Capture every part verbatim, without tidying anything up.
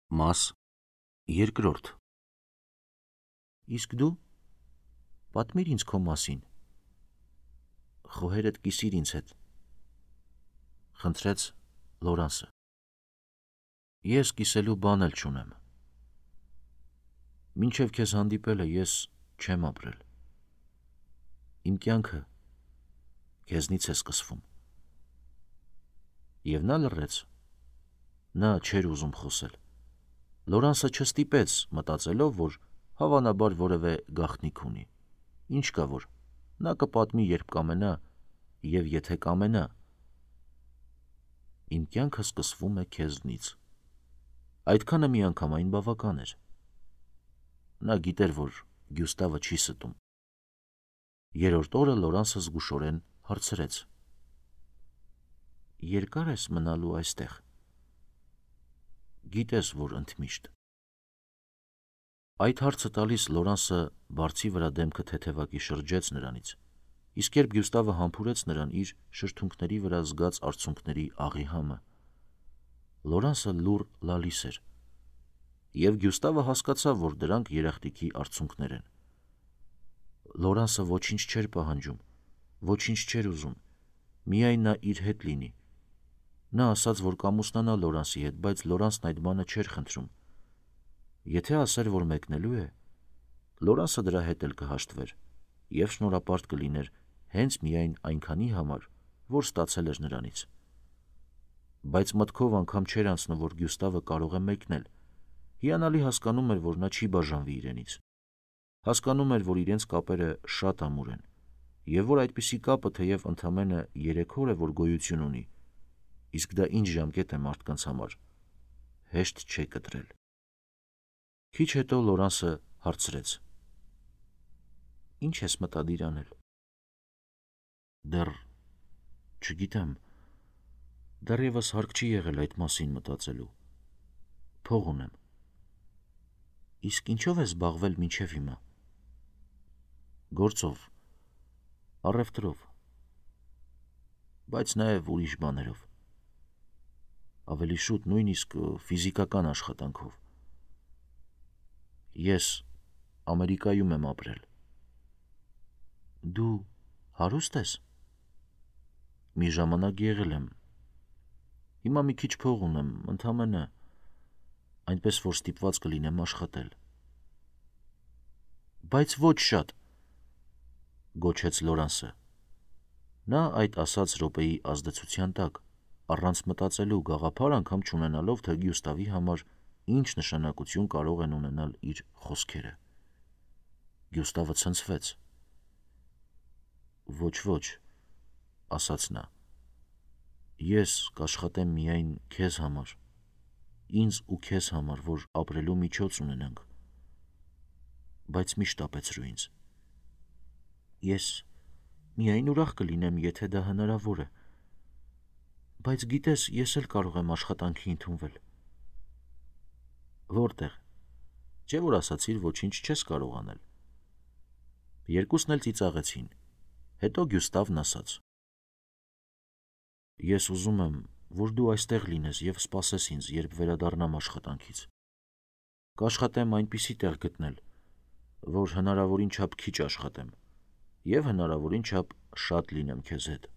Մաս երկրորդ։ Իսկ դու պատմիր ինձ քո մասին, խոհերդ կիսիր ինձ հետ, խնդրեց Լորանսը։ Ես կիսելու բան էլ չունեմ։ Մինչև քեզ հանդիպելը ես չեմ ապրել։ Իմ կյանքը քեզնից է սկսվում։ Եվ նա լռեց։ Նա չէր ուզում խոսել։ Լորանսը չստիպեց, մտածելով, որ հավանաբար որևէ գաղտնիք ունի։ Ինչ կա որ, նա կպատմի, երբ կամենա, և եթե կամենա։ Իմ կյանքը սկսվում է քեզնից։ Այդքանը միանգամայն բավական էր։ Նա գիտեր, որ Գյուստավը չի ստում։ Երրորդ օրը Լորանսը զգուշորեն հարցրեց. Երկա՞ր ես մնալու այստեղ։ Գիտես, որ ընդմիշտ։ Այդ հարցը տալիս Լորանսը բարձի վրա դեմքը թեթևակի շրջեց նրանից, իսկ երբ Գյուստավը համբուրեց նրան իր շրթունքների վրա զգաց արցունքների աղի համը, Լորանսը լուռ լալիս էր, և Գյուստավը հասկացավ, որ դրանք երախտիկի արցունքներ են։ Լորանսը ոչինչ չէր պահանջում, ոչինչ չէր ուզում, միայն նա իր հետ լինի։ Նա ասաց, որ կամուսնանա Լորանսի հետ, բայց Լորանսն այդ բանը չէր խնդրում։ Եթե ասեր, որ մեկնելու է, Լորանսը դրա հետ էլ կհաշտվեր և շնորհապարտ կլիներ հենց միայն այնքանի համար, որ ստացել էր նրանից։ Բայց մտքով անգամ չէր անցնում, որ Գյուստավը կարող է մեկնել։ Հիանալի հասկանում էր, որ նա չի բաժանվի իրենից։ Հասկանում էր, որ իրենց կապերը շատ ամուր են, և որ այդպիսի կապը թեև ընդամենը երեք օր է, որ գոյություն ունի, իսկ դա ինչ ժամկետ է մարդկանց համար, հեշտ չէ կտրել։ Քիչ հետո Լորանսը հարցրեց. Ինչ ես մտադիր անել։ Դեռ չգիտեմ, դեռևս հարկ չի եղել այդ մասին մտածելու։ Փող ունեմ։ Իսկ ինչով ես զբաղվել մինչև հիմա։ Գործով, առևտրով, բայց նաև ուրիշ բաներով։ Ավելի շուտ նույնիսկ ֆիզիկական աշխատանքով։ Ես Ամերիկայում եմ ապրել։ Դու հարուստ ես։ Մի ժամանակ եղել եմ։ Հիմա մի քիչ փող ունեմ, ընդամենը, այնպես որ ստիպված կլինեմ աշխատել։ Բայց ոչ շատ, գոչեց Լորանսը։ Նա այդ ասաց րոպեի ազդեցության տակ, առանց մտածելու, գաղափար անգամ չունենալով, թե Գյուստավի համար ինչ նշանակություն կարող են ունենալ իր խոսքերը։ Գյուստավը ցնցվեց։ Ոչ, ոչ, ասաց նա։ Ես կաշխատեմ միայն քեզ համար, ինձ ու քեզ համար, որ ապրելու միջոց ունենանք։ Բայց մի շտապեցրու ինձ։ Ես միայն ուրախ կլինեմ, եթե դա հնարավոր է։ Բայց գիտես, ես էլ կարող եմ աշխատանքի ընդունվել։ Որտեղ։ Չէ՞ որ ասացիր, ոչինչ չես կարող անել։ Երկուսն էլ ծիծաղեցին։ Հետո Գյուստավն ասաց. Ես ուզում եմ, որ դու այստեղ լինես և սպասես ինձ, երբ վերադառնամ աշխատանքից։ Կաշխատեմ այնպիսի տեղ գտնել, որ հնարավորին չափ քիչ աշխատեմ և հնարավորին չափ շատ լինեմ քեզ հետ։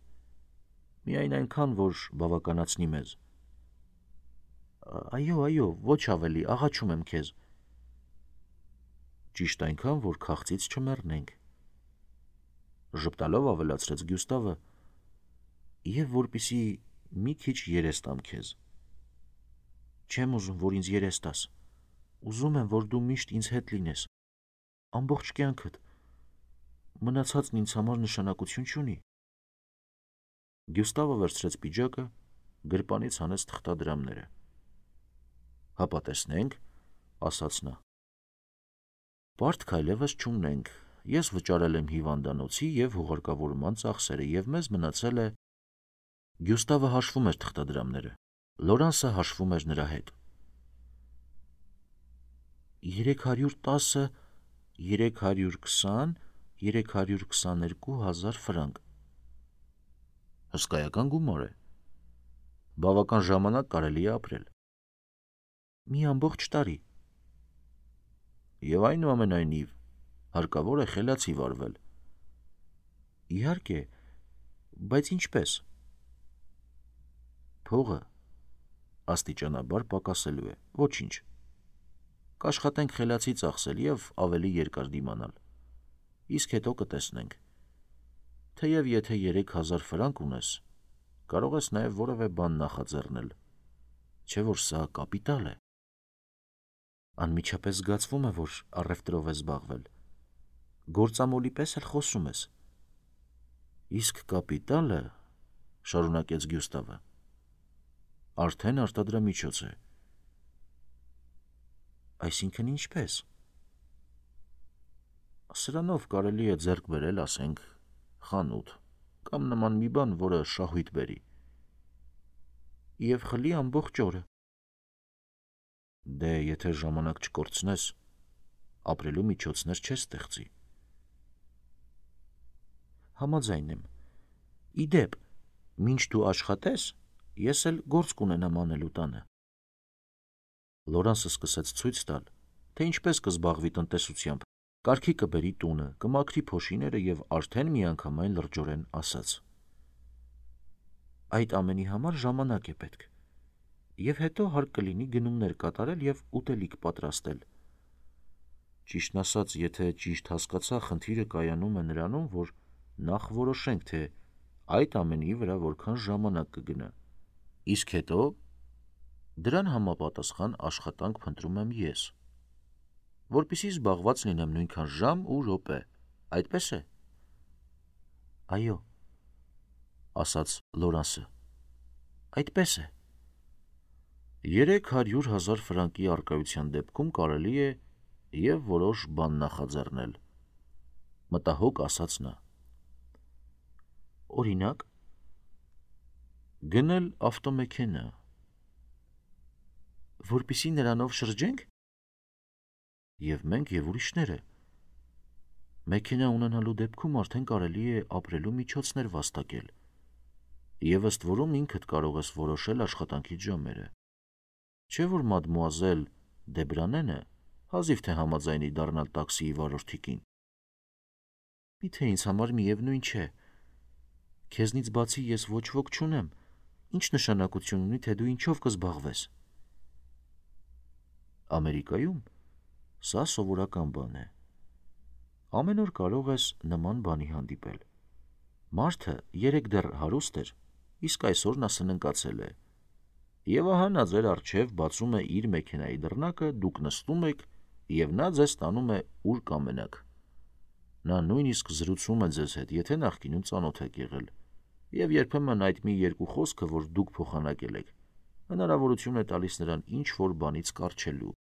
Միայն այնքան, որ բավականացնի մեզ։ Այո, այո, ոչ ավելի, աղաչում եմ քեզ։ Ճիշտ այնքան, որ քաղցից չմեռնենք, ժպտալով ավելացրեց Գյուստավը, և որպեսզի մի քիչ երես տամ քեզ։ Չեմ ուզում, որ ինձ երես տաս։ Ուզում եմ, որ դու միշտ ինձ հետ լինես, ամբողջ կյանքդ։ Մնացածն ինձ համար նշանակություն չունի։ Գյուստավը վերցրեց պիջակը, գրպանից հանեց թղթադրամները։ Հապա տեսնենք, ասաց նա։ Պարտք այլևս չունենք։ Ես վճարել եմ հիվանդանոցի և հուղարկավորման ծախսերը, և մեզ մնացել է… Գյուստավը հաշվում էր թղթադրամները։ Լորանսը հաշվում էր նրա հետ։ Երեք հարյուր տասը, երեք հարյուր քսան, երեք հարյուր քսաներկու հազար ֆրանկ։ Հսկայական գումար է։ Բավական ժամանակ կարելի է ապրել։ Մի ամբողջ տարի։ Եվ այնուամենայնիվ հարկավոր է խելացի վարվել։ Իհարկե, բայց ինչպես։ Փողը աստիճանաբար պակասելու է, ոչինչ։ Կաշխատենք խելացի ծախսել և ավելի երկար դիմանալ։ Իսկ հետո կտեսնենք։ Թեև եթե երեք հազար ֆրանկ ունես, կարող ես նաև որևէ բան նախաձեռնել, չէ որ սա կապիտալ է։ Անմիջապես զգացվում է, որ առևտրով ես զբաղվել։ Գործամոլի պես էլ խոսում ես։ Իսկ կապիտալը, շարունակեց Գյուստավը, արդեն արտադրամիջոց է։ Այսինքն ինչպես։ Սրանով կարելի է ձեռք բերել, ասենք, խանութ կամ նման մի բան, որը շահույթ բերի։ Եվ խլի ամբողջ օրը։ Դե եթե ժամանակ չկորցնես, ապրելու միջոցներ չես ստեղծի։ Համաձայն եմ։ Ի դեպ, մինչ դու աշխատես, ես էլ գործ կունենամ անելու տանը։ Լորանսը սկսեց ցույց տալ, թե ինչպես կզբաղվի տնտեսությամբ, կարգի կբերի տունը, կմաքրի փոշիները և արդեն միանգամայն լրջորեն ասաց. Այդ ամենի համար ժամանակ է պետք, և հետո հարկ կլինի գնումներ կատարել և ուտելիք պատրաստել։ Ճիշտն ասած, եթե ճիշտ հասկացա, խնդիրը կայանում է նրանում, որ նախ որոշենք, թե այդ ամենի վրա որքան ժամանակ կգնա, իսկ հետո դրան համապատասխան աշխատանք փնտրում եմ ես, որպեսզի զբաղված լինեմ նույնքան ժամ ու րոպե, այդպես է։ Այո, ասաց Լորանսը, այդպես է։ Երեք հարյուր հազար ֆրանկի առկայության դեպքում կարելի է և որոշ բան նախաձեռնել, մտահոգ ասաց նա։ Օրինակ, գնել ավտոմեքենա, որպեսզի նրանով շրջենք։ Եվ մենք, և ուրիշները։ Մեքենա ունենալու դեպքում արդեն կարելի է ապրելու միջոցներ վաստակել, և ըստ որում ինքդ կարող ես որոշել աշխատանքիդ ժամերը։ Չէ որ մադմուազել Դեբրանենը հազիվ թե համաձայնի դառնալ տաքսիի վարորդի կին։ Միթե ինձ համար միևնույն չէ։ Քեզնից բացի ես ոչ ոք չունեմ, ինչ նշանակություն ունի, թե դու ինչով կզբաղվես։ Ամերիկայում սա սովորական բան է։ Ամեն օր կարող ես նման բանի հանդիպել։ Մարդը երեկ դեռ հարուստ էր, իսկ այսօր նա սննկացել է։ Եվ ահա նա ձեր առջև բացում է իր մեքենայի դռնակը, դուք նստում եք, և նա ձեզ տանում է ուր կամենաք։ Նա նույնիսկ զրուցում է ձեզ հետ, եթե նախկինում ծանոթ եք եղել, և երբեմն այդ մի երկու խոսքը, որ դուք փոխանակել եք, հնարավորություն է տալիս նրան ինչ-որ բանից կառչելու։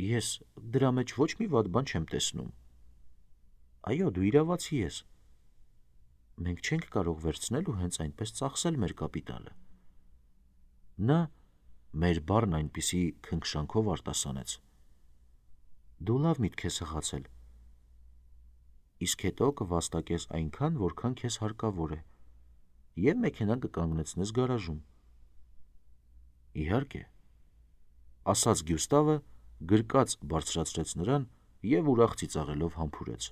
Ես դրա մեջ ոչ մի վատ բան չեմ տեսնում։ Այո, դու իրավացի ես։ Մենք չենք կարող վերցնել ու հենց այնպես ծախսել մեր կապիտալը։ Նա մեր բառն այնպիսի քնքշանքով արտասանեց։ Դու լավ միտք ես հղացել։ Իսկ հետո կվաստակես այնքան, որքան քեզ հարկավոր է, և մեքենան կկանգնեցնես գարաժում։ Իհարկե, ասաց Գյուստավը, գրկած բարձրացրեց նրան և ուրախ ծիծաղելով համբուրեց։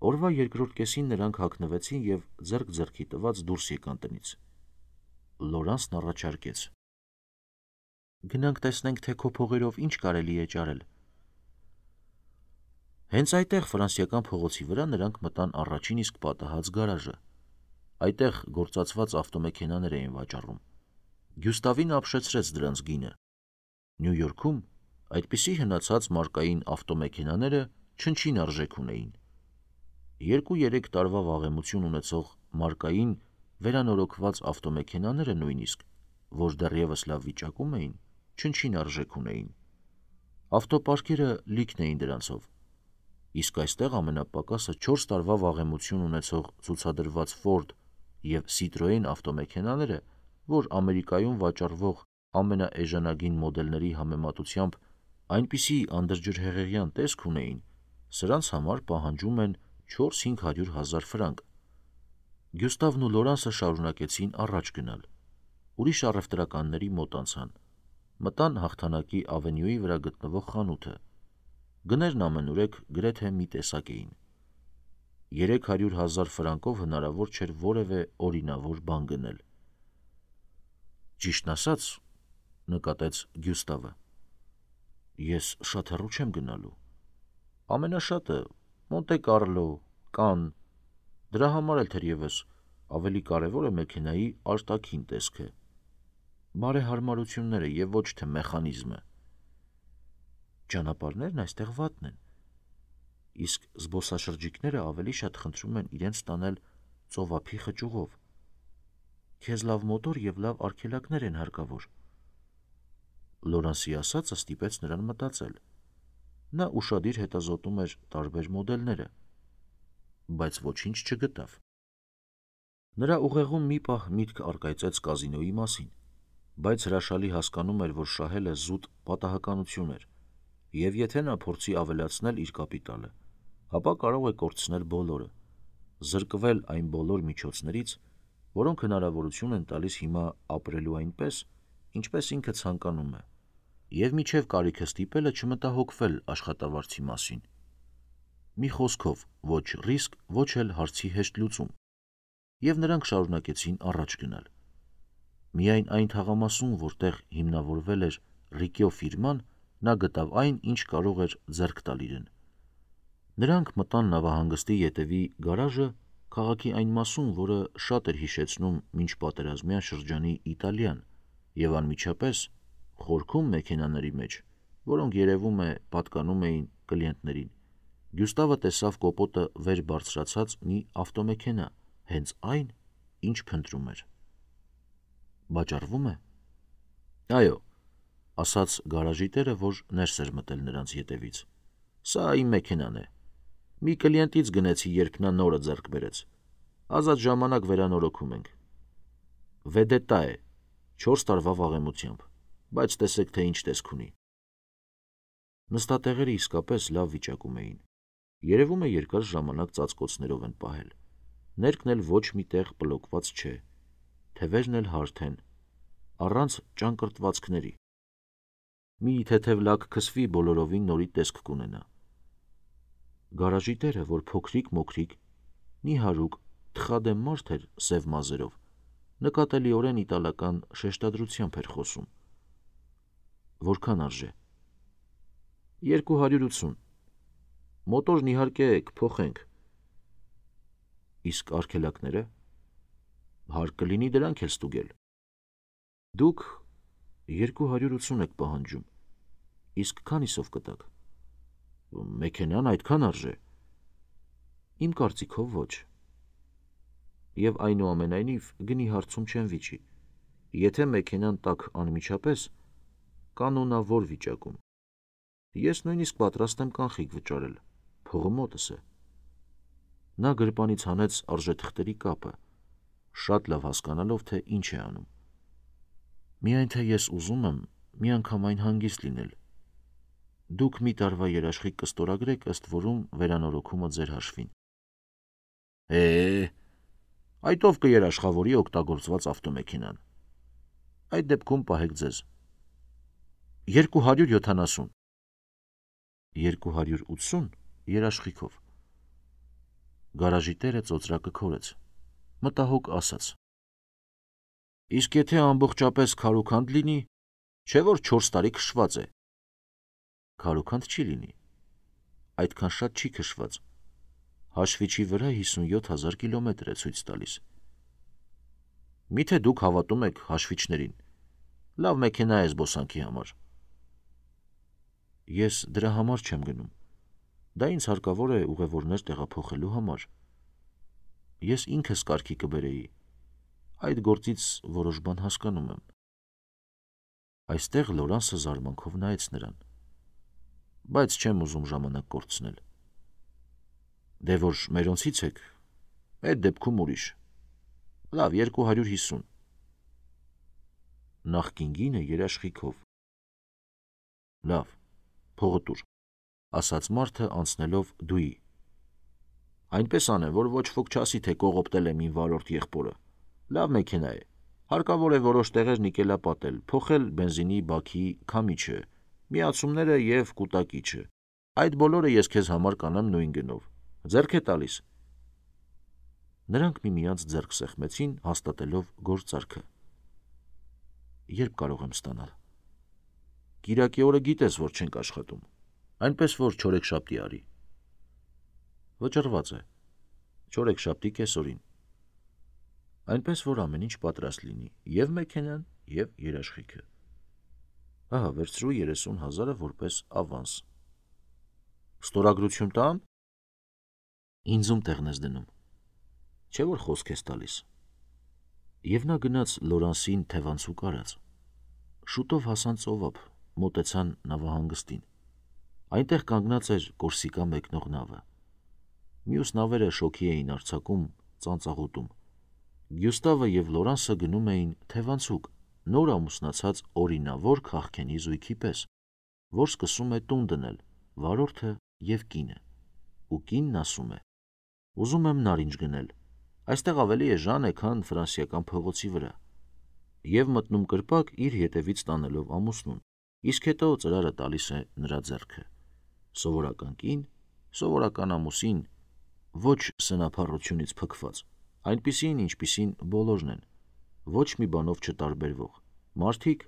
Օրվա երկրորդ կեսին նրանք հագնվեցին և ձեռք ձեռքի տված դուրս եկան տնից։ Լորանսն առաջարկեց. Գնանք տեսնենք, թե քո փողերով ինչ կարելի է ճարել։ Հենց այդտեղ Ֆրանսիական փողոցի վրա նրանք մտան առաջին իսկ պատահած գարաժը։ Այդտեղ գործածված ավտոմեքենաներ էին վաճառում։ Գյուստավին ապշեցրեց դրանց գինը։ Նյու Յորքում այդպիսի հնացած մարկային ավտոմեքենաները չնչին արժեք ունեին։ Երկու-երեք տարվա վաղեմություն ունեցող մարկային վերանորոգված ավտոմեքենաները նույնիսկ, որ դեռևս լավ վիճակում էին, չնչին արժեք ունեին։ Ավտոպարկերը լիքն էին դրանցով։ Իսկ այստեղ ամենապակասը չորս տարվա վաղեմություն ունեցող ցուցադրված Ֆորդ և Սիտրոեն ավտոմեքենաները, որ Ամերիկայում վաճառվող ամենաէժանագին մոդելների համեմատությամբ այնպիսի անդրջրհեղեղյան տեսք ունեին, սրանց համար պահանջում են չորս-հինգ հարյուր հազար ֆրանկ։ Գյուստավն ու Լորանսը շարունակեցին առաջ գնալ։ Ուրիշ առևտրականների մոտ անցան։ մտան հաղթանակի ավենյուի վրա գտնվող խանութը։ Գներն ամենուրեք գրեթե մի տեսակ էին։ Երեք հարյուր հազար ֆրանկով հնարավոր չէր որևէ օրինավոր բան գնել։ Ճիշտն ասած, նկատեց Գյուստավը, ես շատ հեռու չեմ գնալու։ Ամենաշատը Մոնտե Կարլո, Կանն, դրա համար էլ թերևս ավելի կարևոր է մեքենայի արտաքին տեսքը, բարեհարմարությունները եւ ոչ թե մեխանիզմը։ Ճանապարհներն այստեղ վատն են, իսկ զբոսաշրջիկները ավելի շատ խնդրում են իրենց տանել ծովափի խճուղով։ Քեզ լավ մոտոր եւ լավ արգելակներ են հարկավոր։ Լորանսի ասածը ստիպեց նրան մտածել։ Նա ուշադիր հետազոտում էր տարբեր մոդելները, բայց ոչինչ չգտավ։ Նրա ուղեղում մի պահ միտք առկայծեց կազինոյի մասին, բայց հրաշալի հասկանում էր, որ շահելը զուտ պատահականություն էր, եւ եթե նա փորձի ավելացնել իր կապիտալը, ապա կարող է կորցնել բոլորը, զրկվել այն բոլոր միջոցներից, որոնք հնարավորություն են տալիս հիմա ապրելու այնպես, ինչպես ինքը ցանկանում է, եւ միջև կարիքը ստիպելը չմտահոգվել աշխատավարձի մասին։ Մի խոսքով, ոչ ռիսկ, ոչ էլ հարցի հեշտ լուծում, եւ նրանք շարունակեցին առաջ գնալ։ Միայն այն թաղամասում, որտեղ հիմնավորվել էր Ռիկյո ֆիրման, նա գտավ այն, ինչ կարող էր ձեռք տալ իրեն։ Նրանք մտան նավահանգստի ետևի գարաժը քաղաքի այն մասում, որը շատ էր հիշեցնում մինչպատերազմյան շրջանի Իտալիան, եւ անմիջապես խորքում մեքենաների մեջ, որոնք երևում է պատկանում էին կլիենտներին, Գյուստավը տեսավ կոպոտը վեր բարձրացած մի ավտոմեքենա, հենց այն, ինչ փնտրում էր։ Բաճարվում է։ Այո, ասաց գարաժի տերը, որ ներս էր մտել նրանց ետևից։ Սա իմ մեքենան է։ Մի կլիենտից գնեցի, երբ նա նորը ձեռք բերեց։ Ազատ ժամանակ վերանորոգում ենք։ Վեդետա է, չորս տարվա վաղեմությամբ, բայց տեսեք, թե ինչ տեսք ունի։ Նստատեղերը իսկապես լավ վիճակում էին։ Երևում է երկար ժամանակ ծածկոցներով են պահել։ Ներքն էլ ոչ մի տեղ բլոկված չէ, թևերն էլ հարթ են, առանց ճանկռտվածքների։ Մի թեթև լակ քսվի բոլորովին նորի տեսք կունենա։ Գարաժի տերը, որ փոքրիկ-մոքրիկ, նիհարուկ, թխադեմ մարդ էր սև մազերով, նկատելիորեն իտալական շեշտադրությամբ էր խոսում։ Որքան արժե։ Երկու հարյուր ութսուն։ Մոտորն իհարկե կփոխենք։ Իսկ արգելակները հարկ կլինի դրանք էլ ստուգել։ Դուք երկու հարյուր ութսուն եք պահանջում, իսկ քանիսով կտաք։ Մեքենան այդքան արժե։ Իմ կարծիքով ոչ։ Եվ այնուամենայնիվ գնի հարցում չեն վիճի։ Եթե մեքենան տաք անմիջապես, կանոնավոր վիճակում։ Ես նույնիսկ պատրաստ եմ կանխիկ վճարել, փողը մոտս է։ Նա գրպանից հանեց արժեթղթերի կապը, շատ լավ հասկանալով, թե ինչ է անում։ Միայն թե ես ուզում եմ միանգամայն հանգիստ լինել։ Դուք մի տարվա երաշխիք կստորագրեք, ըստ որում վերանորոգումը ձեր հաշվին։ Է, այդ ով կերաշխավորի օգտագործված ավտոմեքենան։ Այդ դեպքում պահեք ձեզ։ Երկու հարյուր յոթանասուն։ Երկու հարյուր ութսուն երաշխիքով։ Գարաժի տերը ծոծրակը քորեց, մտահոգ ասաց. Իսկ եթե ամբողջապես քարուքանդ լինի, չէ որ չորս տարի քշված է։ Քարուքանդ չի լինի, այդքան շատ չի քշված, հաշվիչի վրա հիսունյոթ հազար կիլոմետր է ցույց տալիս։ Միթե դուք հավատում եք հաշվիչներին, լավ մեքենա է զբոսանքի համար։ Ես դրա համար չեմ գնում, դա ինձ հարկավոր է ուղևորներ տեղափոխելու համար։ Ես ինքս կարգի կբերեի, այդ գործից որոշ բան հասկանում եմ։ Այստեղ Լորանսը զարմանքով նայեց նրան, բայց չեմ ուզում ժամանակ կորցնել։ Դե որ մերոնցից եք, այդ դեպքում ուրիշ։ Լավ, երկու հարյուր հիսուն։ Նախկին գինը երաշխիքով։ Լավ, փողը տուր, ասաց մարդը անցնելով դուի։ Այնպես անեմ, որ ոչ ոք չասի, թե կողոպտել եմ իմ վարորդ եղբորը։ Լավ մեքենա է, Հարկավոր է որոշ տեղեր նիկելապատել, փոխել բենզինի բաքի քամիչը, միացումները և կուտակիչը։ Այդ բոլորը ես քեզ համար կանեմ նույն գնով։ Ձեռք է տալիս։ Նրանք միմյանց ձեռք սեղմեցին, հաստատելով գործարքը։ Երբ կարող եմ ստանալ։ Կիրակի օրը գիտես, որ չենք աշխատում, այնպես որ չորեքշաբթի արի։ Վճռված է։ Չորեքշաբթի կեսօրին։ Այնպես որ ամեն ինչ պատրաստ լինի, և մեքենան, և երաշխիքը։ Ահա, վերցրու երեսուն հազարը որպես ավանս։ Ստորագրություն տամ։ Ինձում տեղն ես դնում։ Չէ՞ որ խոսք ես տալիս։ Եվ նա գնաց Լորանսին թևանցուկ արած։ Շուտով հասան ծովափ, մոտեցան նավահանգստին։ Այնտեղ կանգնած էր Կորսիկա մեկնող նավը։ Մյուս նավերը շոգի էին արձակում ծանծաղուտում։ Գյուստավը և Լորանսը գնում էին թևանցուկ, նոր ամուսնացած օրինավոր քաղքենի զույգի պես, որ սկսում է տուն դնել, վարորդը և կինը։ Ու կինն ասում է. «Ուզում եմ նարինջ գնել, այստեղ ավելի էժան է, քան ֆրանսիական փողոցի վրա», և մտնում կրպակ իր ետևից տանելով ամուսնուն, իսկ հետո ծրարը տալիս է նրա ձեռքը։ Սովորական կին, սովորական ամուսին, ոչ սնափառությունից փքված, այնպիսին, ինչպիսին բոլորն են, ոչ մի բանով չտարբերվող, մարդիկ,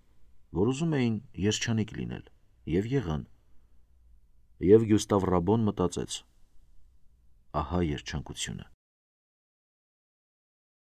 որ ուզում էին երջանիկ լինել, և եղան։ Եվ Գյուստավ Ռաբոն մտածեց. ահա երջանկությունը։